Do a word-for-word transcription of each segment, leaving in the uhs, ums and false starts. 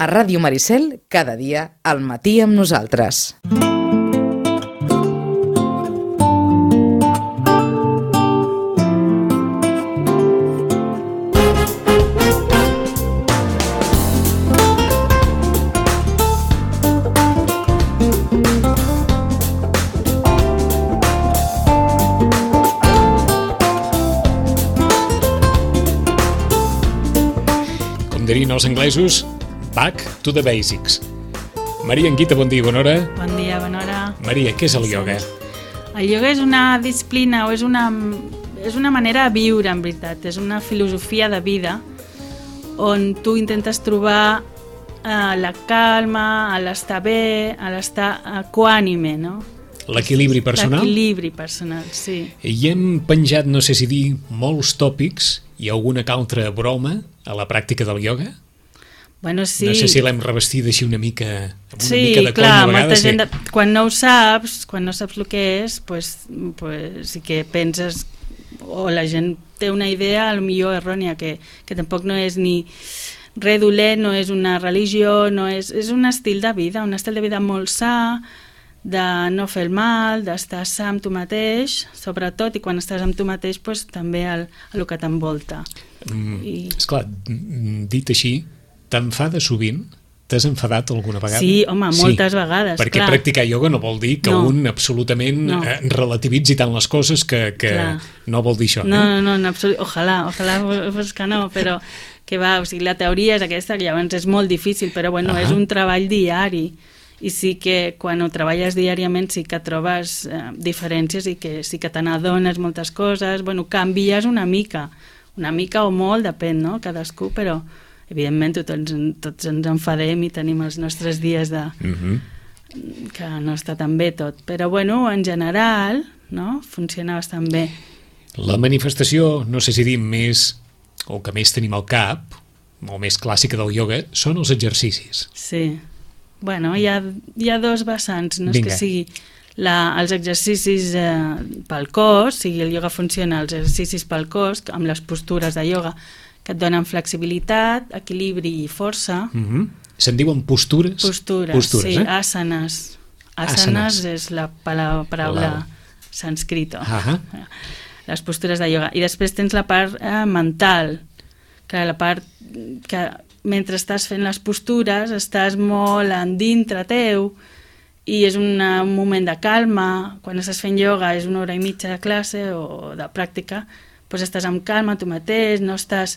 A Ràdio Maricel, cada dia, al matí amb nosaltres. Dirien els anglesos, back to the basics. Maria Anguita, bon dia, bona hora. Bon dia, bona hora. Maria, què és el ioga? El ioga és una disciplina o és una, és una manera de viure, en veritat. És una filosofia de vida on tu intentes trobar eh, la calma, l'estar bé, l'estar equànime, no? L'equilibri personal? L'equilibri personal, sí. I hem penjat, no sé si dir, molts tòpics i alguna que altra broma a la pràctica del ioga? Bueno, sí. No sé si l'hem revestida així una mica, amb una sí, mica de clar, conya a vegades. Gent de... Quan no ho saps, quan no saps el que és, pues, pues, sí que penses, o la gent té una idea, potser errònia, que, que tampoc no és ni res dolent, no és una religió, no és, és un estil de vida, un estil de vida molt sa, de no fer el mal, d'estar sa amb tu mateix, sobretot, i quan estàs amb tu mateix, pues, també el, el que t'envolta. Mm, I... Esclar, dit així, t'enfada sovint? T'has enfadat alguna vegada? Sí, home, moltes sí, vegades, perquè clar. Practicar ioga no vol dir que no. un absolutament no. eh, relativitzi tant les coses que, que no vol dir això. No, eh? no, no, no absolut... ojalà, ojalà fos que no, però que va, o sigui, la teoria és aquesta, que llavors és molt difícil, però bueno, uh-huh. és un treball diari. I sí que quan ho treballes diàriament sí que trobes eh, diferències i que sí que te n'adones moltes coses, bueno, canvies una mica, una mica o molt, depèn, no?, cadascú, però evidentment tots, tots ens enfadem i tenim els nostres dies de... Uh-huh. que no està tan bé tot, però bueno, en general, no?, funciona bastant bé. La manifestació, no sé si dir més, o que més tenim al cap, o més clàssica del ioga, són els exercicis. Sí. Bueno, hi ha, hi ha dos vessants, no Vinga. És que sigui la, els exercicis eh, pel cos, o sigui, el ioga funciona, els exercicis pel cos, amb les postures de ioga, que et donen flexibilitat, equilibri i força. Mm-hmm. Se'n diuen postures? Postures, postures sí, eh? asanes. Asanes és la paraula la... sànscrita. Uh-huh. Les postures de ioga. I després tens la part eh, mental, que la part que mentre estàs fent les postures estàs molt en dintre teu i és una, un moment de calma. Quan estàs fent ioga és una hora i mitja de classe o de pràctica, doncs estàs amb calma tu mateix, no estàs,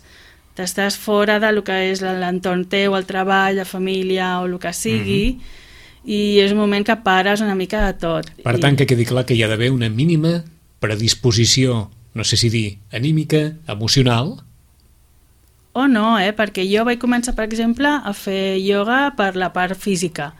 estàs fora del que és l'entorn teu, el treball, la família o el que sigui, mm-hmm. i és un moment que pares una mica de tot. Per tant, que quedi clar que hi ha d'haver una mínima predisposició, no sé si dir, anímica, emocional. O no, eh? Perquè jo vaig començar, per exemple, a fer ioga per la part física.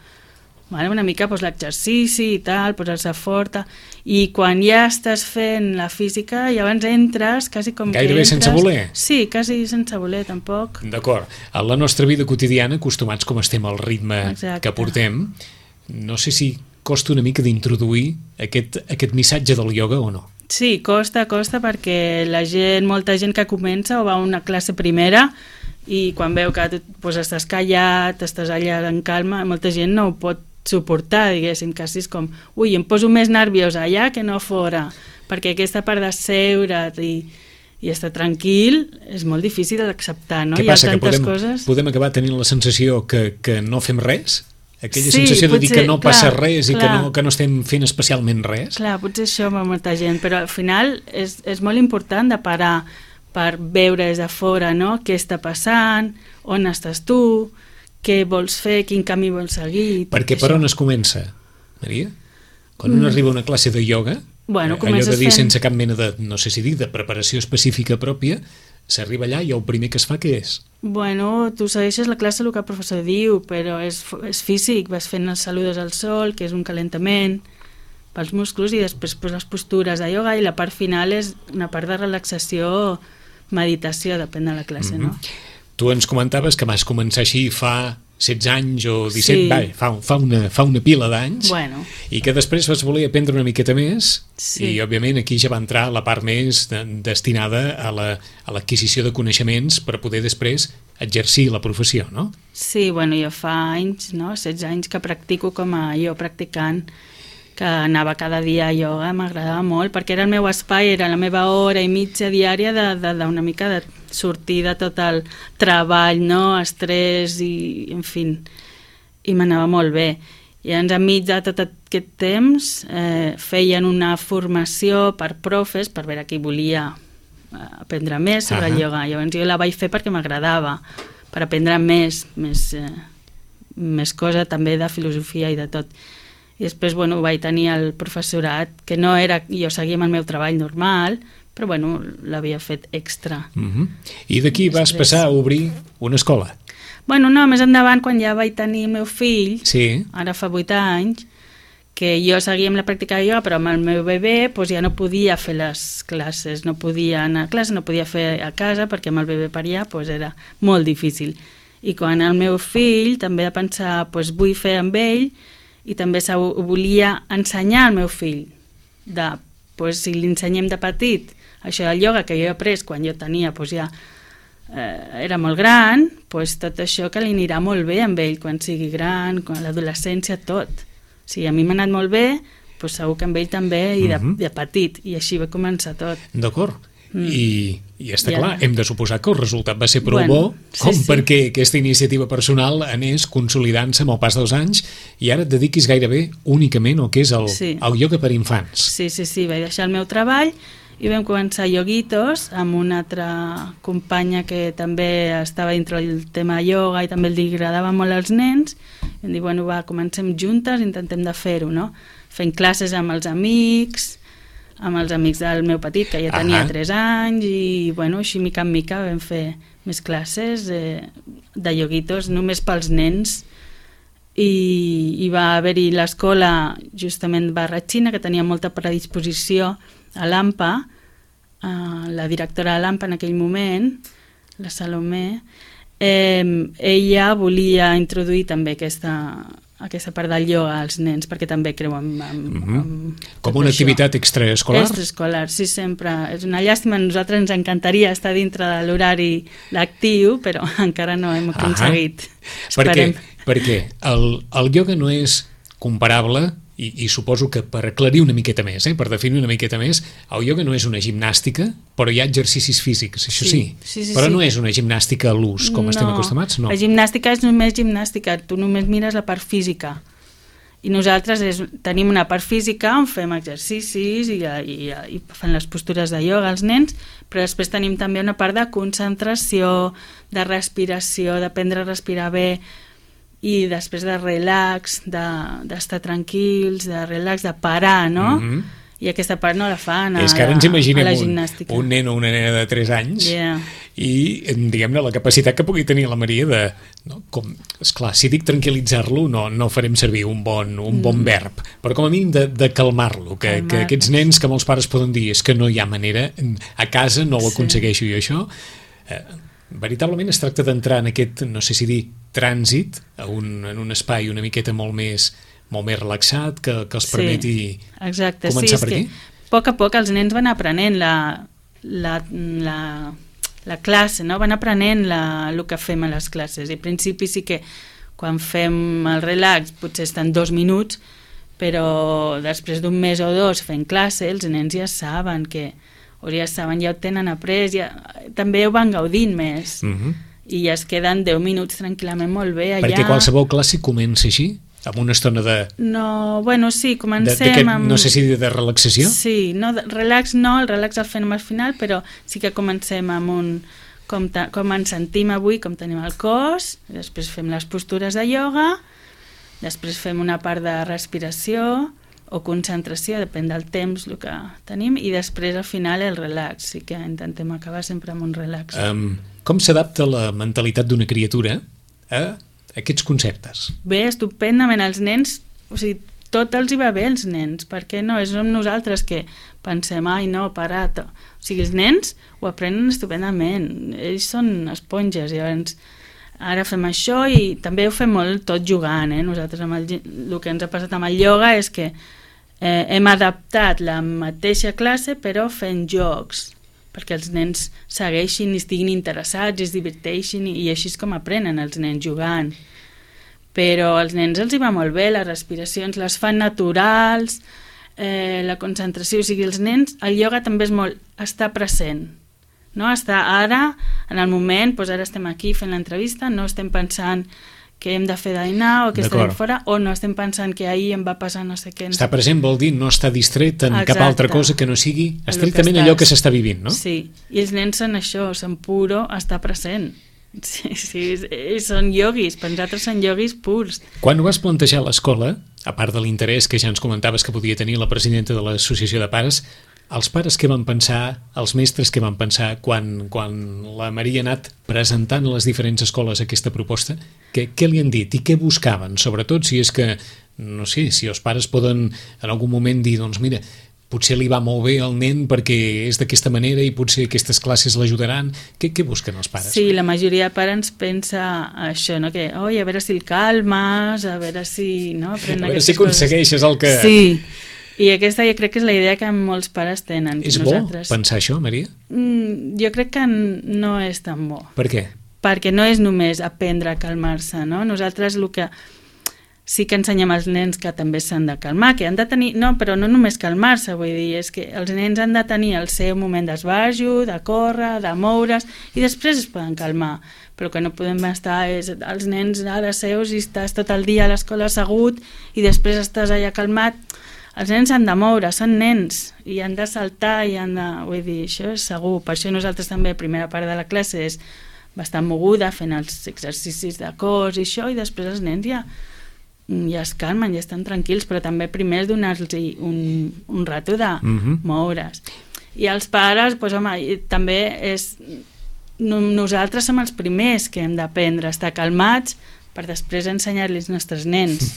Vale? Una mica pues, l'exercici i tal, posar-se forta. I quan ja estàs fent la física, llavors entres quasi com Gairebé que entres... sense voler? Sí, quasi sense voler, tampoc. D'acord. A la nostra vida quotidiana, acostumats com estem al ritme Exacte. Que portem, no sé si costa una mica d'introduir aquest, aquest missatge del ioga o no. Sí, costa, costa, perquè la gent, molta gent que comença o va a una classe primera i quan veu que tu pues, estàs callat, estàs allà en calma, molta gent no ho pot suportar, diguéssim, quasi és com ui, em poso més nerviosa allà que no fora, perquè aquesta part de seure't i, i estar tranquil és molt difícil d'acceptar, no? Què passa, Hi ha tantes que podem, coses... podem acabar tenint la sensació que, que no fem res? Aquella sí, sensació de potser, dir que no passa clar, res i clar. que no, que no estem fent especialment res? Clar, potser això va molta gent, però al final és, és molt important de parar per veure des de fora, no?, què està passant, on estàs tu, què vols fer, quin camí vols seguir... Perquè per on es comença, Maria? Quan mm. un arriba a una classe de ioga, bueno, allò de dir fent... sense cap mena de, no sé si dir, de preparació específica pròpia, s'arriba allà i el primer que es fa què és? Bueno, tu segueixes la classe el que el professor diu, però és, és físic, vas fent els saludos al sol, que és un calentament pels músculs, i després pues, les postures de ioga, i la part final és una part de relaxació, meditació, depèn de la classe, mm-hmm. no? Tu ens comentaves que vas començar així fa setze anys o disset, Sí. va, fa, fa, una, fa una pila d'anys, Bueno. i que després vas voler aprendre una miqueta més, Sí. i òbviament aquí ja va entrar la part més de, destinada a la- a l'adquisició de coneixements per poder després exercir la professió, no? Sí, bueno, jo fa anys, no? setze anys que practico com a jo practicant, que anava cada dia a ioga, m'agradava molt, perquè era el meu espai, era la meva hora i mitja diària de, de, de una mica de sortir de tot el treball, no? Estrès i, en fi, i m'anava molt bé. I llavors, enmig de tot aquest temps, eh, feien una formació per profes, per veure qui volia eh, aprendre més sobre Ahà. el ioga. Llavors jo la vaig fer perquè m'agradava, per aprendre més, més, eh, més cosa també de filosofia i de tot. I després, bueno, vaig tenir el professorat, que no era, jo seguia amb el meu treball normal, però, bueno, l'havia fet extra. Uh -huh. I d'aquí vas Després. passar a obrir una escola. Bueno, no, més endavant, quan ja vaig tenir el meu fill, Sí. ara fa vuit anys, que jo seguia amb la pràctica de ioga, però amb el meu bebè doncs ja no podia fer les classes, no podia anar a classe, no podia fer a casa, perquè amb el bebè per allà doncs era molt difícil. I quan el meu fill també va pensar, doncs vull fer amb ell, i també se ho volia ensenyar al meu fill, de, doncs, si li ensenyem de petit això del ioga que jo he après quan jo tenia, doncs ja eh, era molt gran, doncs tot això que li anirà molt bé amb ell quan sigui gran, quan a l'adolescència, tot. O sigui, a mi m'ha anat molt bé, doncs segur que amb ell també, i de, Mhm. de petit, i així va començar tot. D'acord. Mm. I, I està I ara- clar, hem de suposar que el resultat va ser prou Bueno, bo, sí, com sí. perquè aquesta iniciativa personal anés consolidant-se amb el pas dels anys i ara et dediquis gairebé únicament al que és el, Sí. el ioga per infants. Sí, sí, sí, vaig deixar el meu treball i vam començar Yoguitos amb una altra companya que també estava dintre del tema ioga i també li agradava molt als nens. I vam dir, bueno, va, comencem juntes, intentem de fer-ho, no? Fent classes amb els amics, amb els amics del meu petit, que ja tenia Ahà. tres anys, i bueno, així mica en mica vam fer més classes eh, de Yoguitos només pels nens. I, i va haver-hi l'escola justament Barratxina, que tenia molta predisposició a l'AMPA, eh, la directora de l'AMPA en aquell moment, la Salomé, eh, ella volia introduir també aquesta, aquesta part del ioga als nens, perquè també creu en, en, Mhm. en Com tot una això. activitat extraescolar? Extraescolar, sí, sempre. És una llàstima, a nosaltres ens encantaria estar dintre de l'horari lectiu, però encara no hem aconseguit. Per què? Esperem. Perquè el, el ioga no és comparable, i, i suposo que per aclarir una miqueta més, eh, per definir una miqueta més, el ioga no és una gimnàstica, però hi ha exercicis físics, això sí, Sí, sí, sí, però sí. no és una gimnàstica a l'ús, com estem acostumats, no. La gimnàstica és només gimnàstica, tu només mires la part física. I nosaltres és, tenim una part física on fem exercicis i, i, i fan les postures de ioga als nens, però després tenim també una part de concentració, de respiració, d'aprendre a respirar bé, i després de relax, d'estar de, tranquils, de relax, de parar, no? Mhm. I aquesta part no la fan a, És que ara ens la, imaginem a la un, gimnàstica. un nen o una nena de tres anys Yeah. i, diguem-ne, la capacitat que pugui tenir la Maria de... No, com, esclar, si dic tranquil·litzar-lo, no, no farem servir un bon, un bon Mm. verb, però com a mínim de, de calmar-lo, que, Calmar. que aquests nens que molts pares poden dir és que no hi ha manera, a casa no ho Sí. aconsegueixo jo això, eh, veritablement es tracta d'entrar en aquest, no sé si dir, trànsit, a un, en un espai una miqueta molt més, molt més relaxat, que, que els permeti exacte. començar sí, per és aquí. que a poc a poc els nens van aprenent la, la, la, la classe, no? Van aprenent la, el que fem a les classes. I al principi sí que quan fem el relax potser estan dos minuts, però després d'un mes o dos fent classe els nens ja saben que o ja saben, ja ho tenen après, ja, també ho van gaudint més. Mhm. I ja es queden deu minuts tranquil·lament molt bé allà. Perquè qualsevol classe comença així, amb una estona de... No, bueno, sí, de, comencem de amb... no sé si de relaxació? Sí, no, de- relax no, el relax el fem al final, però sí que comencem amb un... Com, ta, com ens sentim avui, com tenim el cos, després fem les postures de ioga, després fem una part de respiració o concentració, depèn del temps el que tenim, i després al final el relax, sí que intentem acabar sempre amb un relax. Um, com s'adapta la mentalitat d'una criatura a aquests conceptes? Bé, estupendament, els nens, o sigui, tot els hi va bé als nens, perquè no, és som nosaltres que pensem, ai no, parat, o sigui, els nens ho aprenen estupendament, ells són esponges, llavors ara fem això, i també ho fem molt tot jugant, eh? Nosaltres amb el, el que ens ha passat amb el ioga és que eh, hem adaptat la mateixa classe però fent jocs, perquè els nens segueixin i estiguin interessats i es diverteixin, i, i així és com aprenen els nens, jugant. Però als nens els hi va molt bé, les respiracions les fan naturals, eh, la concentració, o sigui, els nens, el ioga també és molt estar present, no? Està ara, en el moment, doncs ara estem aquí fent l'entrevista, no estem pensant que hem de fer dinar o que estarem fora, o no estem pensant que ahir em va passar no sé què. Estar present vol dir no estar distret en Exacte. Cap altra cosa que no sigui estrictament que allò que s'està vivint, no? Sí, i els nens són això, són puro estar present. Sí, sí, són ioguis, per nosaltres són ioguis purs. Quan ho vas plantejar a l'escola, a part de l'interès que ja ens comentaves que podia tenir la presidenta de l'Associació de Pares, els pares què van pensar, els mestres què van pensar quan, quan la Maria ha anat presentant a les diferents escoles aquesta proposta? Què, què li han dit i què buscaven? Sobretot si és que, no sé, si els pares poden en algun moment dir, doncs mira, potser li va molt bé al nen perquè és d'aquesta manera i potser aquestes classes l'ajudaran. Què, què busquen els pares? Sí, la majoria de pares pensa això, no? Que, oi, a veure si el calmes, a veure si... No? A veure si aconsegueixes el que... Sí, i aquesta jo crec que és la idea que molts pares tenen. És nosaltres... bo pensar això, Maria? Mm, jo crec que no és tan bo. Per què? Perquè no és només aprendre a calmar-se, no? Nosaltres el que sí que ensenyem als nens que també s'han de calmar, que han de tenir... No, però no només calmar-se, vull dir, és que els nens han de tenir el seu moment d'esbarjo, de córrer, de moure's, i després es poden calmar. Però que no podem estar és, els nens ara seus i estàs tot el dia a l'escola assegut i després estàs allà calmat. Els nens han de moure, són nens, i han de saltar, i han de... Vull dir, això és segur. Per això nosaltres també, la primera part de la classe és bastant moguda, fent els exercicis de cos i això, i després els nens ja, ja es calmen, ja estan tranquils, però també primer és donar-los un, un rato de uh-huh. moure's. I els pares, doncs, home, també és... Nosaltres som els primers que hem d'aprendre a estar calmats per després ensenyar-los als nostres nens.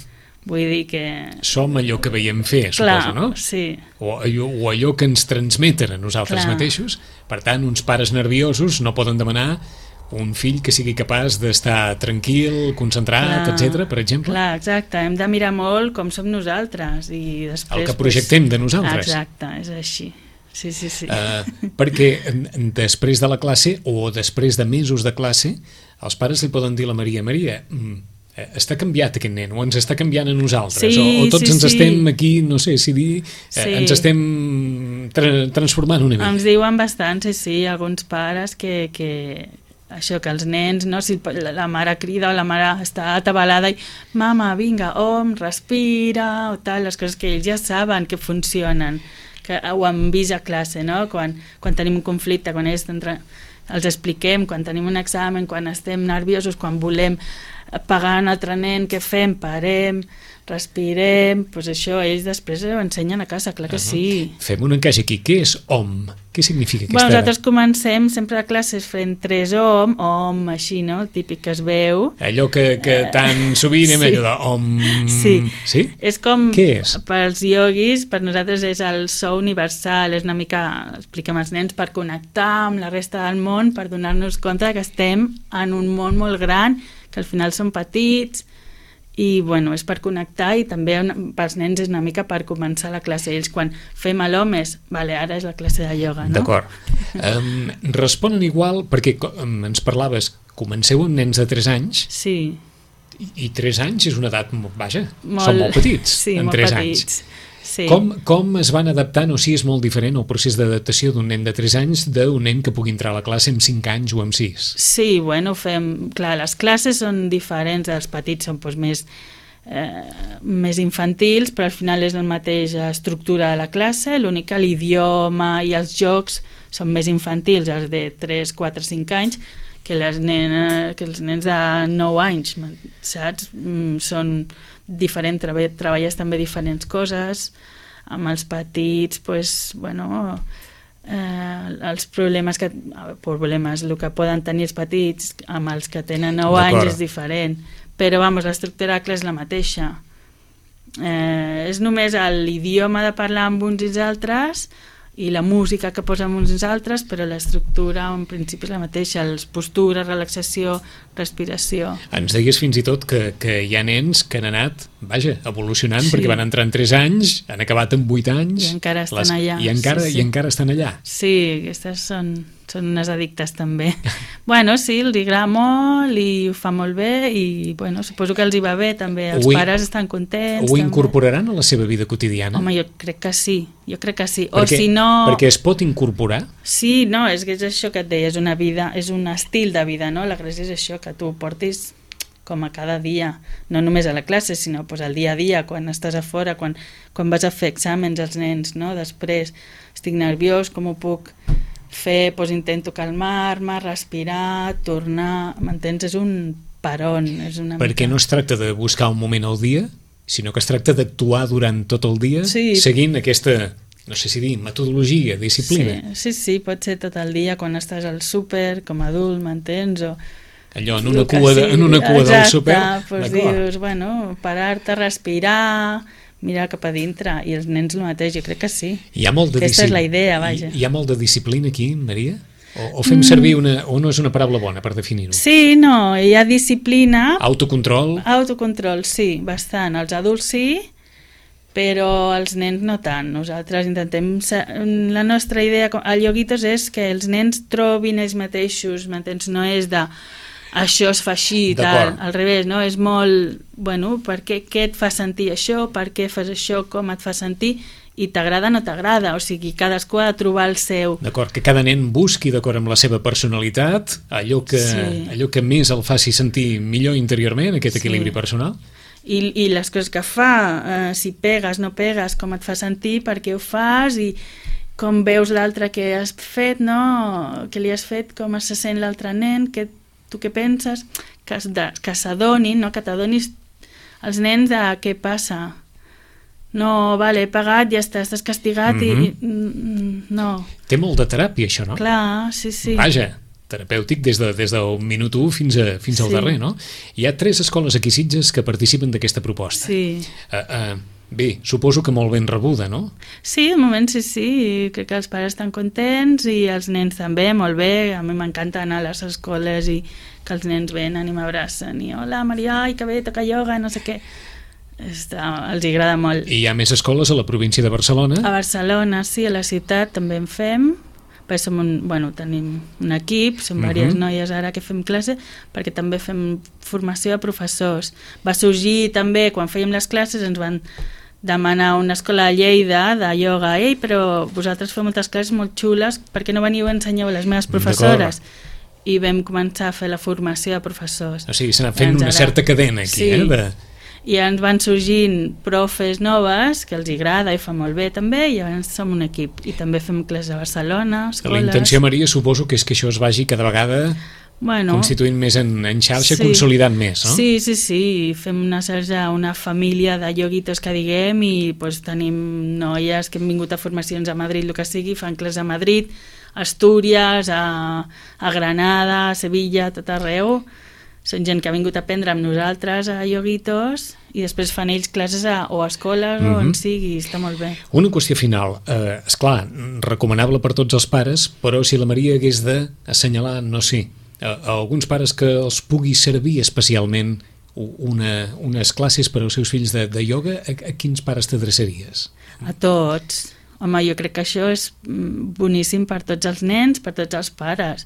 Vull dir que... Som allò que veiem fer, Clar, suposo, no? Sí. O allò, o allò que ens transmeten a nosaltres Clar. mateixos. Per tant, uns pares nerviosos no poden demanar un fill que sigui capaç d'estar tranquil, concentrat, Clar. etcètera, per exemple. Clar, exacte. Hem de mirar molt com som nosaltres. I després, el que projectem pues... de nosaltres. Exacte, és així. Sí, sí, sí. Uh, perquè després de la classe, o després de mesos de classe, els pares li poden dir a la Maria, Maria... Mm, està canviat aquest nen, o ens està canviant a nosaltres, sí, o, o tots sí, ens sí. estem aquí, no sé si dir, sí. eh, ens estem tra transformant una mica. Ens diuen bastant, sí, sí, alguns pares que, que això, que els nens, no, si la, la mare crida o la mare està atabalada i mama, vinga, om, respira, o tal, les coses que ells ja saben que funcionen, que ho han vist a classe, no? Quan, quan tenim un conflicte, quan ells entra, els expliquem, quan tenim un examen, quan estem nerviosos, quan volem pagar un altre nen, què fem? Parem, respirem, doncs això ells després ho ensenyen a casa, clar que uh -huh. sí. Fem un encaix aquí, què és om? Què significa aquesta... Bueno, nosaltres comencem sempre a classes fent tres om, om, així, no? El típic que es veu. Allò que, que tan sovint hem sí. allò de om... Sí. sí? És com, què és? Pels ioguis, per nosaltres és el so universal, és una mica, expliquem als nens, per connectar amb la resta del món, per donar-nos compte que estem en un món molt gran, que al final són petits, i bueno, és per connectar, i també pels nens és una mica per començar la classe. Ells quan fem a l'homes, vale, ara és la classe de ioga, no? D'acord. Um, responen igual, perquè um, ens parlaves, comenceu amb nens de tres anys, sí. i, i tres anys és una edat, vaja, molt, són molt petits, sí, en molt tres petits. anys. Sí. Com, com es van adaptant, o sigui, és molt diferent el procés d'adaptació d'un nen de tres anys d'un nen que pugui entrar a la classe amb cinc anys o amb sis? Sí, bueno, fem... Clar, les classes són diferents, els petits són doncs, més, eh, més infantils, però al final és la mateixa estructura de la classe, l'únic que l'idioma i els jocs són més infantils, els de tres, quatre, cinc anys, que, les nenes, que els nens de nou anys, saps? Mm, són diferents, treballes també diferents coses, amb els petits, pues, bueno, eh, els problemes que, problemes, el que poden tenir els petits amb els que tenen nou anys és diferent, però vamos, l'estructura és la mateixa. Eh, és només l'idioma de parlar amb uns i els altres i la música que posem uns altres, però l'estructura en principi és la mateixa, les postures, relaxació, respiració. Ens deies fins i tot que, que hi ha nens que han anat, vaja, evolucionant, sí. perquè van entrar en tres anys, han acabat en vuit anys... I encara estan les, allà. I encara, sí, sí. I encara estan allà. Sí, aquestes són, són unes addictes també. Bueno, sí, els agrada molt i ho fa molt bé i bueno, suposo que els hi va bé també, els ho pares estan contents. Ho també. Incorporaran a la seva vida quotidiana? Home, jo crec que sí, jo crec que sí. Perquè, o si no... perquè es pot incorporar? Sí, no, és que és això que et deia, és una vida, és un estil de vida, no? La gràcia és això, que tu portis com a cada dia, no només a la classe, sinó pues, al dia a dia, quan estàs a fora, quan, quan vas a fer exàmens als nens, no? Després estic nerviós, com ho puc fer, pues, intento calmar-me, respirar, tornar, m'entens? És un peron. És una Perquè mica... no es tracta de buscar un moment al dia, sinó que es tracta d'actuar durant tot el dia, sí. seguint aquesta, no sé si dir, metodologia, disciplina. Sí, sí, sí, pot ser tot el dia, quan estàs al súper, com a adult, m'entens? O allò, en una cua, de, en una cua exacte, del súper, pues dius, bueno, parar-te, respirar, mirar cap a dintre, i els nens el mateix, jo crec que sí. Hi ha molt de Aquesta és la idea, vaja. Hi, hi ha molt de disciplina aquí, Maria? O, o fem servir una... o no és una paraula bona per definir-ho? Sí, no, hi ha disciplina... Autocontrol? Autocontrol, sí, bastant. Els adults sí, però els nens no tant. Nosaltres intentem... La nostra idea a Yoguitos és que els nens trobin ells mateixos, m'entens? No és de... això es fa així i tal, al revés, no? És molt, bueno, per què, què et fa sentir això, per què fas això, com et fa sentir, i t'agrada o no t'agrada, o sigui, cadascú ha de trobar el seu... D'acord, que cada nen busqui, d'acord amb la seva personalitat, allò que, sí. allò que més el faci sentir millor interiorment, aquest equilibri sí. personal. I, I les coses que fa, eh, si pegues, no pegues, com et fa sentir, per què ho fas, i com veus l'altre que has fet, no? Que li has fet, com se sent l'altre nen, que tu què penses, que, que s'adonin, no? Que t'adonis els nens de què passa. No, vale, he pagat, ja està, estàs castigat mm-hmm. i... Mm, no. Té molt de teràpia, això, no? Clar, sí, sí. Vaja, terapèutic des, de, des del minut u fins, a, fins al sí. darrer, no? Hi ha tres escoles aquí a Sitges que participen d'aquesta proposta. Sí. Uh, uh, bé, suposo que molt ben rebuda, no? Sí, de moment sí, sí. Crec que els pares estan contents i els nens també, molt bé. A mi m'encanta anar a les escoles i que els nens venen i m'abracen i hola, Maria, ai, que bé, toca ioga, no sé què. Està, els agrada molt. I hi ha més escoles a la província de Barcelona? A Barcelona, sí, a la ciutat també en fem. Perquè som un, bueno, tenim un equip, som uh-huh. diverses noies ara que fem classe, perquè també fem formació de professors. Va sorgir també, quan fèiem les classes, ens van demanar una escola a Lleida de ioga. Ei, però vosaltres feu moltes classes molt xules, per què no veniu a ensenyar a les meves professores? I vam començar a fer la formació de professors. O sigui, s'ha fent una ara... certa cadena aquí, sí. eh? De... I ens van sorgint profes noves que els agrada i fa molt bé també, i llavors som un equip i també fem classes a Barcelona, escoles... La intenció, Maria, suposo que és que això es vagi cada vegada bueno, constituint més en, en xarxa, sí. consolidant més, no? Sí, sí, sí, fem una xarxa, una família de yoguitos que diguem, i pues, tenim noies que han vingut a formacions a Madrid, el que sigui, fan classes a Madrid, a Astúries, a, a Granada, a Sevilla, tot arreu. Són gent que ha vingut a aprendre amb nosaltres a Yoguitos i després fan ells classes a, o a escoles mm-hmm. o on sigui, està molt bé. Una qüestió final, eh, esclar, recomanable per tots els pares, però si la Maria hagués d'assenyalar, no sé, a, a alguns pares que els pugui servir especialment una, unes classes per als seus fills de, de ioga, a, a quins pares t'adreçaries? A tots. Home, jo crec que això és boníssim per tots els nens, per tots els pares.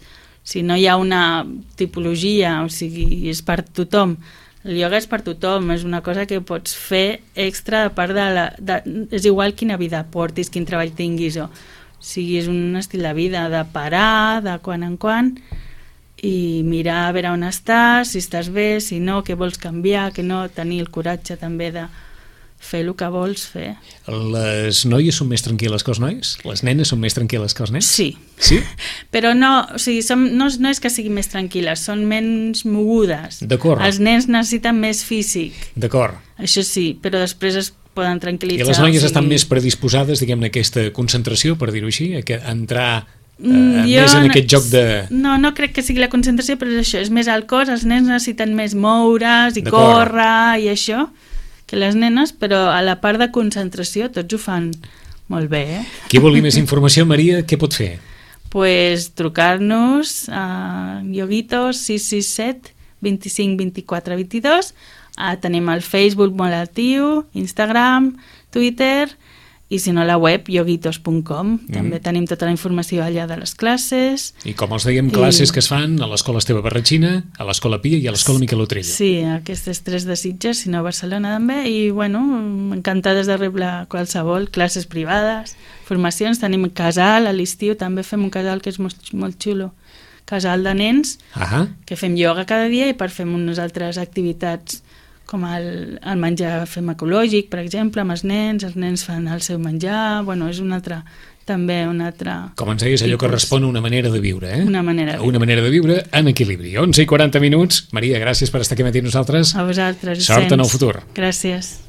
Si no hi ha una tipologia, o sigui, és per tothom. El ioga és per tothom, és una cosa que pots fer extra a part de la... De, és igual quina vida portis, quin treball tinguis, o, o sigui, és un estil de vida, de parar, de quan en quan, i mirar a veure on estàs, si estàs bé, si no, què vols canviar, que no, tenir el coratge també de fer el que vols fer. Les noies són més tranquil·les que els nois? Les nenes són més tranquil·les que els nens? Sí. Sí? Però no, o sigui, som, no, no és que siguin més tranquil·les, són menys mogudes. D'acord. Els nens necessiten més físic. D'acord. Això sí, però després es poden tranquil·litzar. I les noies o sigui... estan més predisposades, diguem-ne, a aquesta concentració, per dir-ho així, a, que, a entrar eh, mm, més en aquest joc de... No, no crec que sigui la concentració, però és això, és més al cos, els nens necessiten més moure's i córrer i això, que les nenes, però a la part de concentració tots ho fan Molt bé, eh? Qui vulgui més informació, Maria, què pot fer? Pues trucar-nos a Yoguitos sis sis set vint-i-cinc vint-i-quatre vint-i-dos. Ah, tenim el Facebook molt actiu, Instagram, Twitter, i si no la web yoguitos punt com. Mm. També tenim tota la informació allà de les classes. I com els dèiem, classes I... que es fan a l'Escola Esteve Barratxina, a l'Escola Pia i a l'Escola Miquel Otrella. Sí, aquestes tres de Sitges, si no a Barcelona també, i bueno, encantades de rebre qualsevol, classes privades, formacions, tenim casal, a l'estiu també fem un casal que és molt, molt xulo, casal de nens, ah que fem ioga cada dia i per fem unes altres activitats com el, el menjar fem ecològic, per exemple, amb els nens, els nens fan el seu menjar, bueno, és una altra, també una altra... Com ens deies, allò tipus. Que respon a una manera de viure, eh? Una manera de viure. Una manera de viure en equilibri. onze i quaranta minuts. Maria, gràcies per estar aquí amb nosaltres. A vosaltres. Sort en el futur. Gràcies.